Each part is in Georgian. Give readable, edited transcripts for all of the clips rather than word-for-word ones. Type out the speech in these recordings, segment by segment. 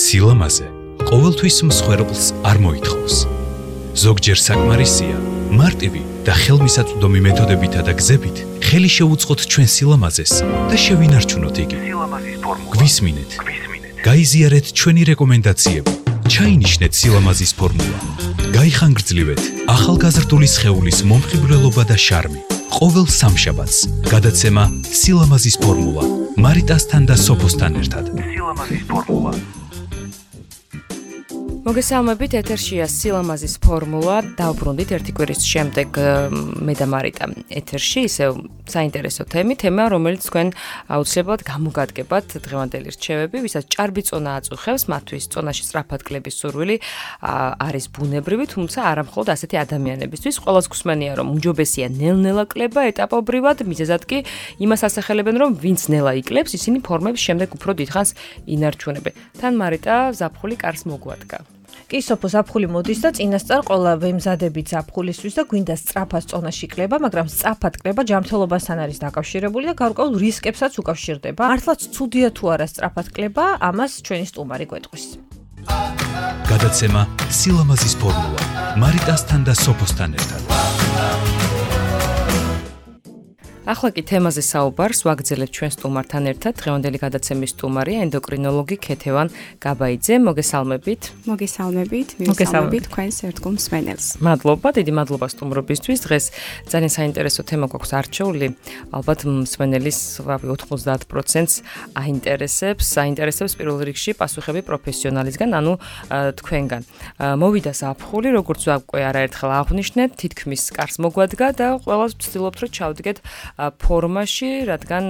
სილამაზე ყოველთვის მსხვერპლს არ მოითხოვს. ზოგჯერ საკმარისია მარტივი და ხელმისაწვდომი მეთოდებითა და გზებით ხელი შეუწყოთ ჩვენ სილამაზეს და შევინარჩუნოთ იგი. გვისმინეთ. გაიზიარეთ ჩვენი რეკომენდაციები. ჩაინიშნეთ სილამაზის ფორმულა. გაიხანგრძლივეთ ახალგაზრდული სხეულის მომხიბვლელობა და შარმი. ყოველ სამშაბათს გადაცემა სილამაზის ფორმულა მარიტასთან და სოფოსთან ერთად. სილამაზის ფორმულა. მოგესალმებით, ეთერშია სილამაზის ფორმულა. დავბრუნდით ერთი კვირის შემდეგ მე და მარიტა ეთერში, ისევ საინტერესო თემა, რომელიც თქვენ აუცილებლად გამოგადგებათ დღევანდელი რჩევები, ვისაც ჭარბი წონა აწუხებს, მათთვის წონაში სწრაფად კლების სურვილი არის ბუნებრივი, თუმცა არა მხოლოდ ასეთი ადამიანებისთვის. ყველას გვსმენია, რომ უმჯობესია ნელ-ნელა კლება ეტაპობრივად, მიზეზად კი იმას ასახელებენ, რომ ვინც ნელა იკლებს, ისინი ფორმებს შემდეგ უფრო დიდხანს ინარჩუნებენ. თან მარიტა ზაფხული კარს მოგვადგა. კი სოფო ზაფხული მოდის და წინასწარ ყველა ვემზადებით ზაფხულისთვის და გვინდა სწრაფად წონაში კლება, მაგრამ სწრაფად კლება ჯანმრთელობასთან არის დაკავშირებული და გარკვეულ რისკებსაც უკავშირდება. მართლაც ცუდია თუ არა სწრაფად კლება, ამას ჩვენი სტუმარი გვეტყვის. გადაცემა სილამაზის ფორმულა მარიტასთან და სოფოსთან ერთად. ახლა კი თემაზე საუბარს ვაგრძელებთ ჩვენ სტუმართან ერთად. დღევანდელი გადაცემის სტუმარია ენდოკრინოლოგი ქეთევან გაბაიძე. მოგესალმებით. მოგესალმებით თქვენს ერთგულ მსმენელს. მადლობა, დიდი მადლობა სტუმრობისთვის. დღეს ძალიან საინტერესო თემა გვაქვს არჩეული. ალბათ მსმენელის 90%-ს აინტერესებს პირველ რიგში პასუხები პროფესიონალისგან, ანუ თქვენგან. მოვიდა ზაფხული, როგორც უკვე არაერთხელ აღვნიშნეთ, თითქმის კარს მოგვადგა და ყველას ვცდილობთ, რომ ჩავდგეთ ფორმაში, რადგან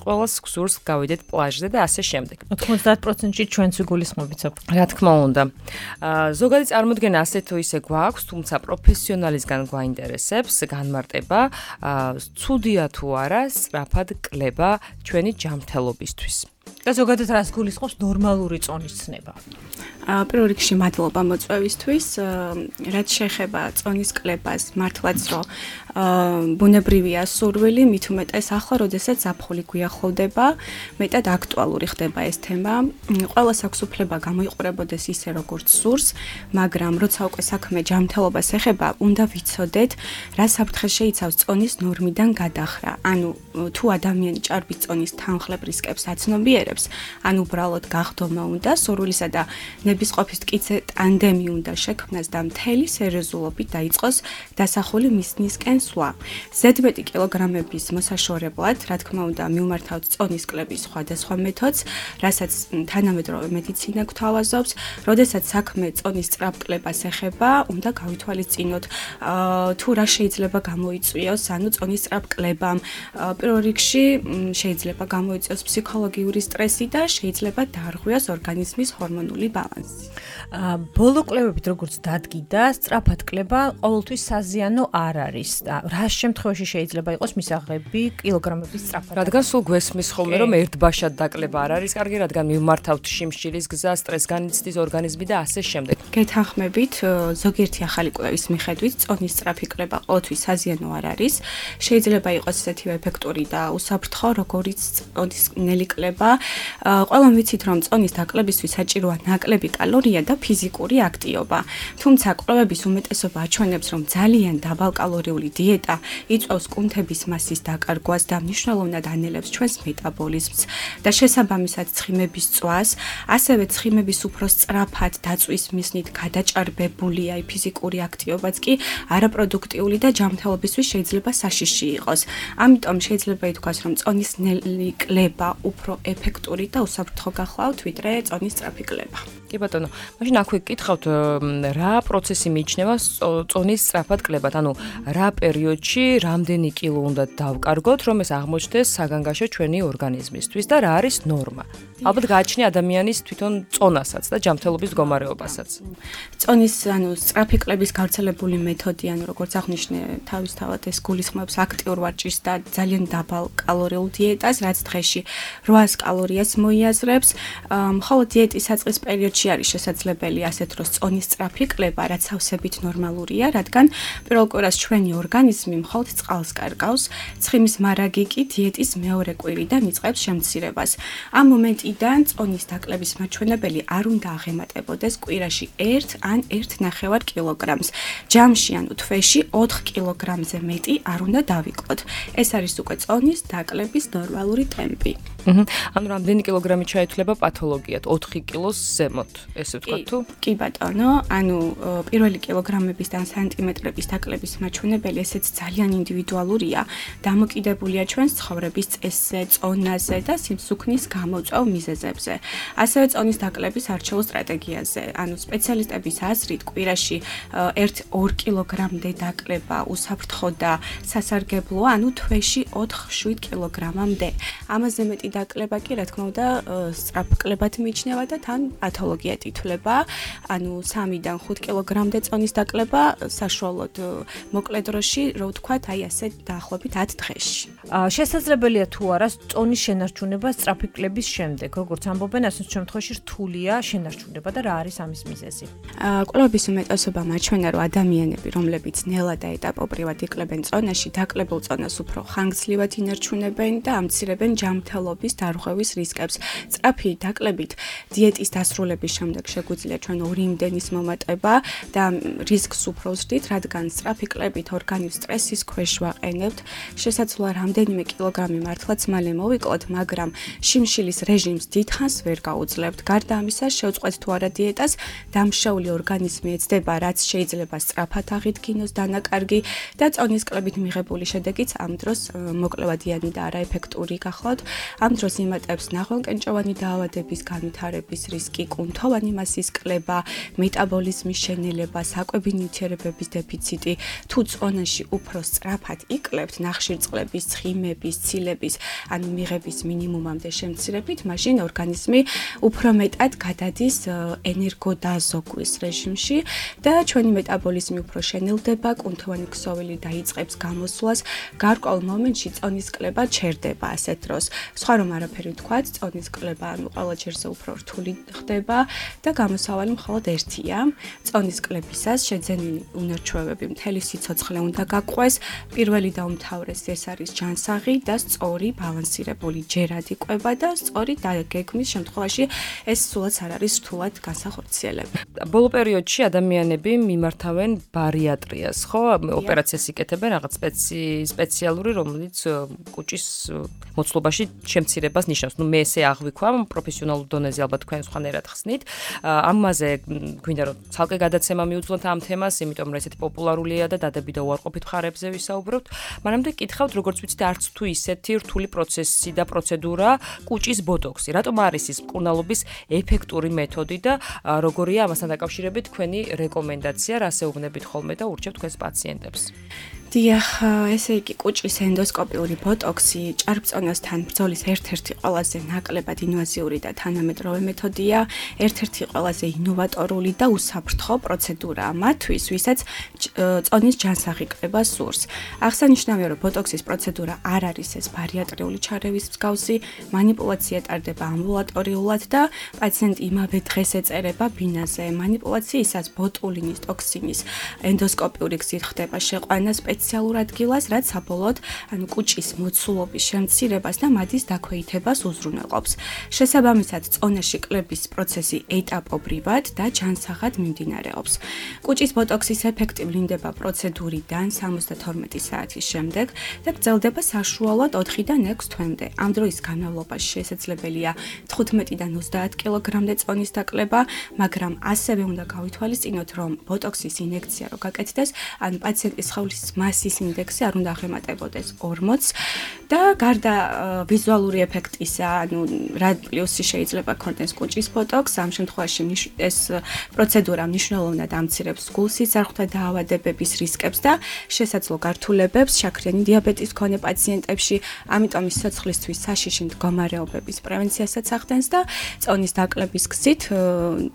ყველას გსურს გავიდეთ პლაჟზე და ასე შემდეგ. 90%-ში ჩვენც ვიგულისხმობთ. რა თქმა უნდა. ზოგადი წარმოდგენა ასე თუ ისე გვაქვს, თუმცა პროფესიონალისგან გვაინტერესებს განმარტება, ცუდია თუ არა სწრაფად კლება ჩვენი ჯანმრთელობისთვის. და ზოგადად რას გულისხმობს ნორმალური წონის ცნება? პირველ რიგში მადლობა მოწვევისთვის. რაც შეეხება წონის კლებას, მართლაც რომ ბუნებრივია სურვილი, მით უმეტეს ახლა, როდესაც ზაფხული გვიახლოვდება, მეტად აქტუალური ხდება ეს თემა. ყველას აქვს უფლება გამოიყურებოდეს ისე, როგორც სურს, მაგრამ როცა უკვე საქმე ჯანმრთელობას ეხება, უნდა ვიცოდეთ, რა საფრთხე შეიცავს წონის ნორმიდან გადახრა. ანუ თუ ადამიანი ჭარბი წონის თანხლებ რისკებს აცნობიერებს, ან უბრალოდ გახდომა უნდა, სურვილისა და ნებისყოფის მტკიცე ტანდემი უნდა შექმნას და მთელი სერიოზულობით დაიწყოს დასახული მიზნისკენ სვლა. ზედმეტი კილოგრამების მოსაშორებლად, რა თქმა უნდა, მივმართავთ წონის კლების სხვადასხვა მეთოდს, რასაც თანამედროვე მედიცინა გვთავაზობს. როდესაც საქმე წონის სწრაფ კლებას ეხება, უნდა გავითვალისწინოთ, თუ რა შეიძლება გამოიწვიოს, ანუ წონის სწრაფ კლებამ. პირველ რიგში შეიძლება გამოიწვიოს ფსიქოლოგიური სტრესი და შეიძლება დაარღვიოს ორგანიზმის ჰორმონული ბალანსი. ბოლო კლებებით როგორც დადგიდა, სწრაფად კლება ყოველთვის საზიანო არ არის. რა შემთხვევაში შეიძლება იყოს მისაღები კილოგრამების სწრაფად? რადგან სულ გვესმის ხოლმე, რომ ერთბაშად დაკლება არ არის კარგი, რადგან მივმართავთ შიმშილის გზა, სტრესს განიცდის ორგანიზმი და ასე შემდეგ. გეთანხმებით, ზოგიერთი ახალი კვლევის მიხედვით, წონის სწრაფი კლება ყოველთვის საზიანო არ არის. შეიძლება იყოს ესეთივე ეფექტური და უსაფრთხო, როგორც წონის ნელი კლება. ყველამ ვიცით, რომ წონის დაკლებისთვის საჭიროა ნაკლები კალორია და ფიზიკური აქტივობა. თუმცა კვლევების უმეტესობა აჩვენებს, რომ ძალიან დაბალკალორიული დიეტა იწვევს კუნთების მასის დაკარგვას და მნიშვნელოვნად ანელებს ჩვენს მეტაბოლიზმს და შესაბამისად ცხიმების წვას, ასევე ცხიმების უფრო სწრაფად დაწვის მიზნით გადაჭარბებული აი ფიზიკური აქტივობაც კი არაპროდუქტიული და ჯანმრთელობისთვის შეიძლება საშიში იყოს. ამიტომ შეიძლება ითქვას, რომ წონის ნელი კლება უფრო ეფექტური და უსაფრთხო გახლავთ, ვიდრე წონის სწრაფი კლება. კი ბატონო, მაშინ აქვე გკითხავთ, რა პროცესი მიიჩნევა წონის სწრაფად კლებად, ანუ რა პერიოდში რამდენი კილო უნდა დავკარგოთ, რომ ეს აღმოჩნდეს საგანგაშო ჩვენი ორგანიზმისთვის და რა არის ნორმა? ალბათ გააჩნია ადამიანის თვითონ წონასაც და ჯანმრთელობის მდგომარეობასაც. წონის სწრაფი კლების გავრცელებული მეთოდი, როგორც აღნიშნე, თავისთავად ეს გულისხმობს აქტიურ ვარჯიშს და ძალიან დაბალ კალორიულ დიეტას, რაც დღეში 800 კალორიას მოიაზრებს. მხოლოდ დიეტის საწყის პერიოდში არის შესაძლებელი ასეთ დროს წონის სწრაფი კლება, რაც ავსებით ნორმალურია, რადგან პირველ კვირას ჩვენი ორგანიზმი მხოლოდ წყალს კარგავს, ცხიმის მარაგი კი დიეტის მეორე კვირიდან იწყებს შემცირებას. ამ მომენტიდან წონის დაკლების მაჩვენებელი არ უნდა აღემატებოდეს კვირაში 1 ან 1.5 კილოგრამს. ჯამში ანუ თვეში 4 კილოგრამზე მეტი არ უნდა დავიკლოთ. ეს არის უკვე წონის დაკლების ნორმალური ტემპი. ანუ რამდენი კილოგრამი ჩაითვლება პათოლოგიად? 4 კილოს ზემოთ, ესე ვთქვათ თუ? კი ბატონო, ანუ პირველი კილოგრამების და სანტიმეტრების დაკლების მაჩვენებელი ესეც ძალიან ინდივიდუალურია, დამოკიდებულია ჩვენს ცხოვრების წესზე, წონაზე და სიმსუქნის გამოწვევ მიზეზებზე. ასევე წონის დაკლების არჩეულ სტრატეგიაზე. ანუ სპეციალისტების აზრით, კვირაში 1-2 კილოგრამდე დაკლება უსაფრთხო და სასარგებლოა, ანუ თვეში 4-7 კილოგრამამდე. ამაზე მეტი დაკლება კი, რა თქმა უნდა, სწრაფ კლებად მიიჩნევა და თან პათოლოგიად ითვლება. ანუ 3-დან 5 კილოგრამდე წონის დაკლება საშუალოდ მოკლე დროში, რო ვთქვათ, აი ასე დაახლოებით 10 დღეში. შესაძლებელია თუ არა წონის შენარჩუნება სწრაფი კლების შემდეგ, როგორც ამბობენ, ასეთ შემთხვევაში რთულია შენარჩუნება და რა არის ამის მიზეზი? კვლევების უმეტესობა მაჩვენა, რომ ადამიანები, რომლებიც ნელა და ეტაპობრივად იკლებენ წონაში, დაკლებულ წონას უფრო ხანგრძლივად ინარჩუნებენ და ამცირებენ ჯანმრთელობის დარღვევის რისკებს. სწრაფი დაკლებით დიეტის დასრულების შემდეგ შეგვიძლია ჩვენ 2 იმდენის მომატება და რისკს უფრო ვზრდით, რადგან სწრაფი კლებით ორგანიზმს სტრესის ქვეშ ვაყენებთ. შესაძლოა რამდენიმე კილოგრამი მართლაც მალე მოვიკლოთ, მაგრამ შიმშილის რეჟიმს დიდხანს ვერ გაუძლებთ. გარდა ამისა, შევწყვეთ თუ არა დიეტას, დამშეული ორგანიზმი ეცდება, რაც შეიძლება სწრაფად აღიდგინოს დანაკარგი და წონის კლებით მიღებული შედეგიც ამ დროს მოკლევადიანი და არაეფექტური გახლავთ. ამ დროს იმატებს ნაღვენკენჭოვანი დაავადების განვითარების რისკი, კუნთოვანი მასის კლება, მეტაბოლიზმის შენელება, საკვები ნივთიერებების დეფიციტი. თუ წონაში უფრო სწრაფად ikლებთ ნახშირწყლების, ცხიმების, ცილების, ანუ მიღების მინიმუმამდე შემცირებით, მაშინ ორგანიზმი უფრო მეტად გადადის ენერგოდაზოგვის რეჟიმში და ჩვენი მეტაბოლიზმი უფრო შენელდება, კუნთოვანი ქსოვილი დაიწყებს გამოსვლას, გარკვეულ მომენტში წონის კლება ჩერდება ასეთ დროს. სხვა რომ არაფერი ვთქვათ, წონის კლება ანუ ყველა ჯერზე უფრო რთული ხდება და გამოსავალი მხოლოდ ერთია. წონის კლებისას შეძენილი უნარჩვევები მთელი სიცოცხლე უნდა გაყვეს. პირველი და უმთავრესი ეს არის ჯანსაღი და სწორი ბალანსირებული ჯერადი კვება და სწორი დაგეგმის შემთხვევაში ეს სულაც არ არის რთულად განსახორციელებელი. ბოლო პერიოდში ადამიანები მიმართავენ ბარიატრიას, ხო? ოპერაციას იკეთებენ რაღაც სპეციალური, რომელიც კუჭის მოცულობაში შემცირებას ნიშნავს. ნუ მე ესე აღვიქვამ პროფესიონალურ დონეზე ალბათ თქვენ სხვანაირად ხსნით. ამაზე გვინდა რომ ცალკე გადაცემა მიუძღოთ ამ თემას, იმიტომ რომ ესეთი პოპულარულია და დადები და უარყოფით მხარეებზე ვისაუბრებთ. მანამდე კითხავთ, როგორც ვიცით, არც თუ ისეთი რთული პროცესი და პროცედურა კუჭის ბოტოქსი. რატომ არის ის მკურნალობის ეფექტური მეთოდი და როგორია ამასთან დაკავშირებით თქვენი რეკომენდაცია, რას ეუბნებით ხოლმე და ურჩევთ თქვენს პაციენტებს? დიახ, ესე იგი კუჭის ენდოსკოპიური ბოტოქსი ჭარბწონასთან ბრძოლის ერთ-ერთი ყველაზე ნაკლებად ინვაზიური და თანამედროვე მეთოდია, ერთ-ერთი ყველაზე ინოვატორული და უსაფრთხო პროცედურაა მათთვის, ვისაც წონის ჯანსაღი კლება სურს. აღსანიშნავია, რომ ბოტოქსის პროცედურა არ არის ეს ბარიატრიული ჩარევის მსგავსი, მანიპულაცია ტარდება ამბულატორიულად და პაციენტი იმავე დღეს ეწერება ბინაზე. მანიპულაციისას ბოტულინის ტოქსინის ენდოსკოპიური გზით ხდება შეყვანა სპეციალურ ადგილას, რაც საბოლოოდ ანუ კუჭის მოცულობის შემცირებას და მათის დაქვეითებას უზრუნველყოფს. შესაბამისად, წონაში კლების პროცესი ეტაპობრივად და ჯანსაღად მიმდინარეობს. კუჭის ბოტოქსის ეფექტი ვლინდება პროცედურიდან 72 საათის შემდეგ და გრძელდება საშუალოდ 4-დან 6 თვემდე. ამ დროის განმავლობაში შესაძლებელია 15-დან 30 კილოგრამდე წონის დაკლება, მაგრამ ასევე უნდა გავითვალისწინოთ, რომ ბოტოქსის ინექცია რო გაკეთდეს, ან პაციენტის სხეულის მასის ინდექსი არ უნდა აღემატებოდეს 40 და გარდა ვიზუალური ეფექტისა, ანუ რა პლუსი შეიძლება ქონდეს კუჭის ბოტოქს, ამ შემთხვევაში ეს პროცედურა მნიშვნელოვნად ამცირებს გულსისარღვთა დაავადებების რისკებს და შესაძლო გართულებებს შაქრიანი დიაბეტის მქონე პაციენტებში, ამიტომ ის სიცოცხლისთვის საშიში მდგომარეობების პრევენციასაც ახდენს და წონის დაკლების გზით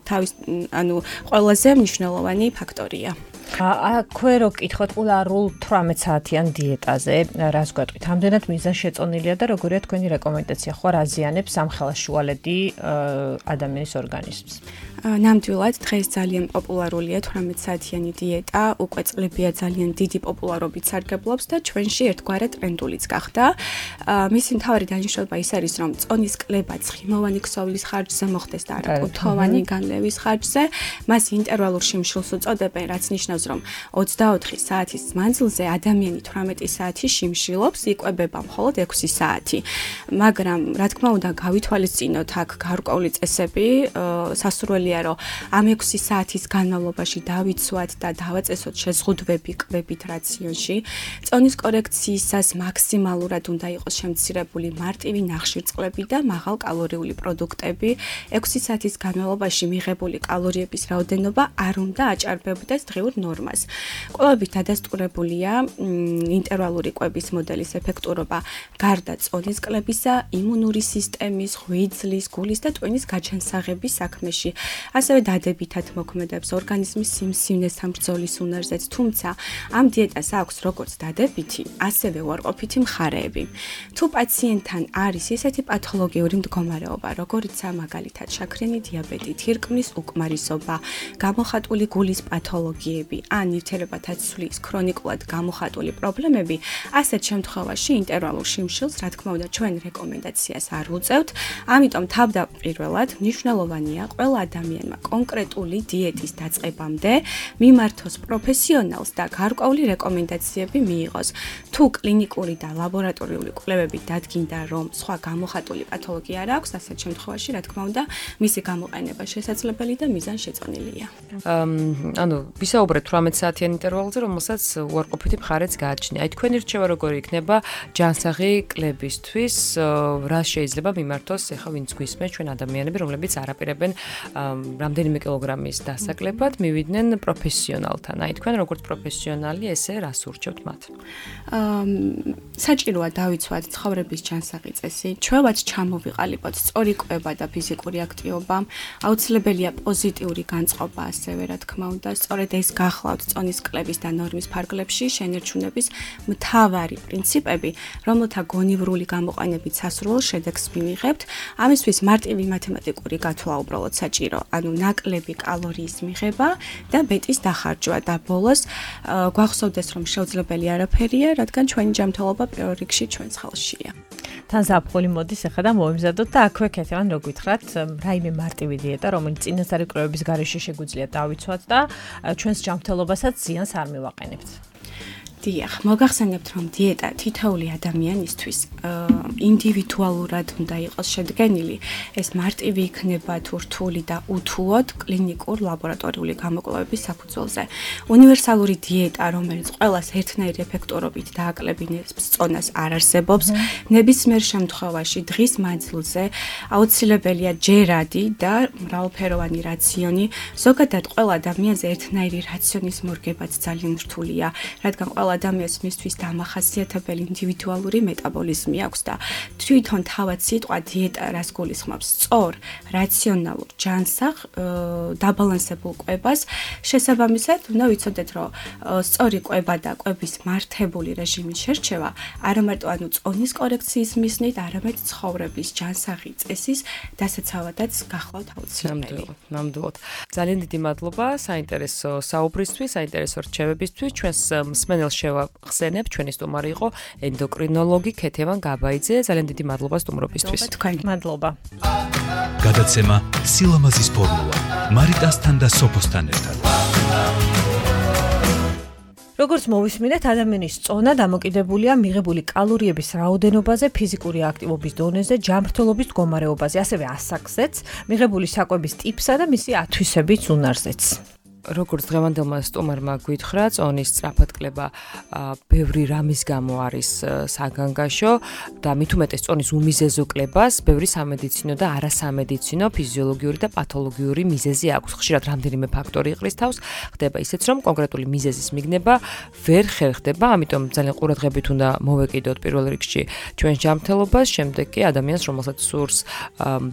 თავის ანუ ყველაზე მნიშვნელოვანი ფაქტორია. აქვე რო გკითხოთ პოპულარულ 18 საათიან დიეტაზე, რას გვეტყვით? ამდენად მიზანს შეწონილია და როგორია თქვენი რეკომენდაცია? ხო რა ზიანებს სამხელაშუალედი ადამიანის ორგანიზმს? ნამდვილად დღეს ძალიან პოპულარულია 18 საათიანი დიეტა, უკვე წლებია ძალიან დიდი პოპულარობით სარგებლობს და ჩვენში ერთგვარად ტრენდულიც გახდა. მისი მთავარი დანიშნულება ის არის, რომ წონის კლება ცხიმოვანი ქსოვლის ხარჯზე მოხდეს და არა კუთხოვანი განლევის ხარჯზე. მას ინტერვალურ შიმშილს უწოდებენ, რაც ნიშნავს, რომ 24 საათის მანძილზე ადამიანი 18 საათი შიმშილობს, იკვებება მხოლოდ 6 საათი. მაგრამ რა თქმა უნდა, გავითვალისწინოთ აქ გარკვეული წესები, სასურველია რომ ამ 6 საათის განმავლობაში დავიცვათ და დავაწესოთ შეზღუდვები კვებით რაციონში. წონის კორექციისას მაქსიმალურად უნდა იყოს შემცირებული მარტივი ნახშირწყლები და მაღალკალორიული პროდუქტები. 6 საათის განმავლობაში მიღებული კალორიების რაოდენობა არ უნდა აჭარბებდეს დღიურ ნორმას. კვლევებით დადასტურებულია ინტერვალური კვების მოდელის ეფექტურობა გარდა წონის კლებისა, იმუნური სისტემის, ღვიძლის, გულის და ტვინის გაჩენსაღების საქმეში. ასევე დადებითად მოქმედებს ორგანიზმის სიმსივნესთან ბრძოლის უნარზეც, თუმცა ამ დიეტას აქვს როგორც დადებითი, ასევე უარყოფითი მხარეები. თუ პაციენტთან არის ისეთი პათოლოგიური მდგომარეობა, როგორიცაა მაგალითად შაქრიანი დიაბეტი, თირკმლის უკმარისობა, გამოხატული გულის პათოლოგიები ან ნივთიერებათა ცვლის ქრონიკულად გამოხატული პრობლემები, ასეთ შემთხვევაში ინტერვალურ შიმშილს, რა თქმა უნდა, ჩვენ რეკომენდაციას არ ვუწევთ, ამიტომ თავდაპირველად მნიშვნელოვანია ყველა ადამიანმა კონკრეტული დიეტის დაწყებამდე მიმართოს პროფესიონალს და გარკვეული რეკომენდაციები მიიღოს. თუ კლინიკური და ლაბორატორიული კვლევები დადგინდა, რომ სხვა გამოხატული პათოლოგია არ აქვს, ასეთ შემთხვევაში, რა თქმა უნდა, მისი გამოყენება შესაძლებელი და მიზანშეწონილია. ანუ ვისაუბრეთ 18 საათიან ინტერვალზე, რომელსაც უარყოფითი მხარეც გააჩნია. აი თქვენი რჩევა როგორი იქნება ჯანსაღი კლებისთვის, რა შეიძლება მიმართოს ახლა ვინც გვისმენს ჩვენ ადამიანები, რომლებიც არაპირებენ რამდენიმე კილოგრამის დასაკლებად მივიდნენ პროფესიონალთან. აი თქვენ როგორც პროფესიონალი ესე რას ურჩევთ მათ? საჭიროა დავიცვათ ცხოვრების ჯანსაღი წესი, ჩვევაც ჩამოვიყალიბოთ სწორი კვება და ფიზიკური აქტივობა, აუცილებელია პოზიტიური განწყობა ასევე რა თქმა უნდა, სწორედ ეს გახლავთ წონის კლების და ნორმის ფარგლებში შენერჩუნების მთავარი პრინციპები, რომელთა გონივრული გამოყენებით სასურველ შედეგს მივიღებთ. ამისთვის მარტივი მათემატიკური გათვლა უბრალოდ საჭირო. ანუ ნაკლები კალორიის მიღება და ბეტის დახარჯვა და ბოლოს გვახსოვდეს რომ შეუძლებელი არაფერია, რადგან ჩვენი ჯანმრთელობა პირველ რიგში ჩვენს ხელშია. თან ზაფხული მოდის ახლა და მოვიმზადოთ და აქვე ქეთევან რო გითხრათ რაიმე მარტივი დიეტა, რომელიც წინასწარი კვლევების გარეშე შეგვიძლია დავიცვათ და ჩვენს ჯანმრთელობასაც ზიანს არ მივაყენებთ. დიახ, მოგახსენებთ რომ დიეტა თითოეული ადამიანისთვის ინდივიდუალურად უნდა იყოს შედგენილი. ეს მარტივი იქნება თუ რთული და უთუოდ კლინიკურ ლაბორატორიული გამოკვლევების საფუძველზე. უნივერსალური დიეტა, რომელიც ყველას ერთნაირი ეფექტურობით დააკლებინებს წონას არ არსებობს. ნებისმიერ შემთხვევაში დღის მანძილზე აუცილებელია ჯერადი და მრავალფეროვანი რაციონი. ზოგადად ყველა ადამიანზე ერთნაირი რაციონის მორგებაც ძალიან რთულია, რადგან ყველა ადამიანს მისთვის დამახასიათებელი ინდივიდუალური მეტაბოლიზმი აქვს და თვითონ თავად სიტყვა დიეტა რას გულისხმობს? სწორ, რაციონალურ, ჯანსაღ, დაბალანსებულ კვებას. შესაბამისად, უნდა ვიცოდეთ, რომ სწორი კვება და კვების მართებული რეჟიმის შერჩევა არა მარტო ანუ წონის კორექციის მიზნით, არამედ ცხოვრების ჯანსაღი წესის დასაცავადაც გახლავთ აუცილებელი. ნამდვილად. ძალიან დიდი მადლობა საინტერესო საუბრისთვის, საინტერესო რჩევებისთვის. ჩვენს მსმენელს შევახსენებ, ჩვენი სტუმარი იყო ენდოკრინოლოგი ქეთევან გაბაიძე. ძალიან დიდი მადლობა სტუმრობისთვის. მადლობა. გადაცემა სილამაზის ფორმულა მარიტასთან და სოფოსთან ერთად. როგორც მოვისმინეთ, ადამიანის წონა დამოკიდებულია მიღებული კალორიების რაოდენობაზე, ფიზიკური აქტივობის დონეზე, ჯანმრთელობის მდგომარეობაზე, ასევე ასაკზეც, მიღებული საკვების ტიპსა და მისი ათვისების უნარზეც. როგორც დღევანდელმა სტუმარმა გითხრა, წონის სწრაფად კლება ბევრი რამის გამო არის საგანგაშო და მით უმეტეს წონის უმიზეზო კლებას ბევრი სამედიცინო და არასამედიცინო, ფიზიოლოგიური და პათოლოგიური მიზეზი აქვს. ხშირად რამდენიმე ფაქტორი იყრის თავს, ხდება ისეც, რომ კონკრეტული მიზეზის მიგნება ვერ ხერხდება, ამიტომ ძალიან ყურადღებით უნდა მოვეკიდოთ პირველ რიგში ჩვენს ჯანმრთელობას, შემდეგ კი ადამიანს, რომელსაც სურს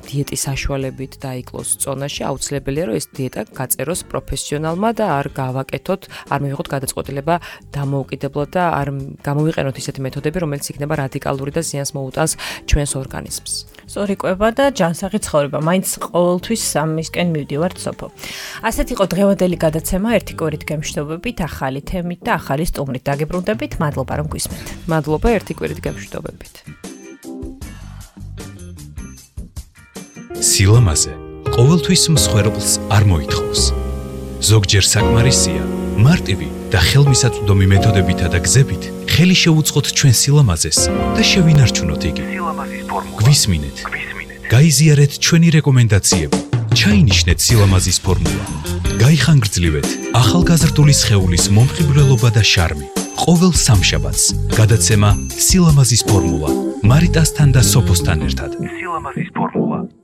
დიეტის საშუალებით დაიკლოს წონაში, აუცილებელია, რომ ეს დიეტა გაწეროს პროფესიონალ პროფესიონალმა და არ გავაკეთოთ, არ მივიღოთ გადაწყვეტილება დამოუკიდებლად და არ გამოვიყენოთ ისეთი მეთოდები, რომელიც იქნება რადიკალური და ზიანს მოუტანს ჩვენს ორგანიზმს. სწორი კვება და ჯანსაღი ცხოვრება. მაინც ყოველთვის სამისკენ მივდივართ სოფო. ასეთ იყო დღევანდელი გადაცემა ერთი კვირით გემშვიდობებით, ახალი თემით და ახალი სტუმრით. დაგიბრუნდებით, მადლობა რომ გვისმენთ. მადლობა ერთი კვირით გემშვიდობებით. სილამაზე ყოველთვის მსხვერპლს არ მოითხოვს. ზოგჯერ საკმარისია მარტივი და ხელმისაწვდომი მეთოდებითა და გზებით ხელი შეუწყოთ ჩვენ სილამაზეს და შევინარჩუნოთ იგი. სილამაზის ფორმულა. გვისმინეთ. გაიზიარეთ ჩვენი რეკომენდაციები. ჩაინიშნეთ სილამაზის ფორმულა. გაიხანგრძლივეთ ახალგაზრდული სხეულის მომხიბვლელობა და შარმი. ყოველ სამშაბათს გადაცემა სილამაზის ფორმულა მარიტასთან და სოფოსთან ერთად. სილამაზის ფორმულა.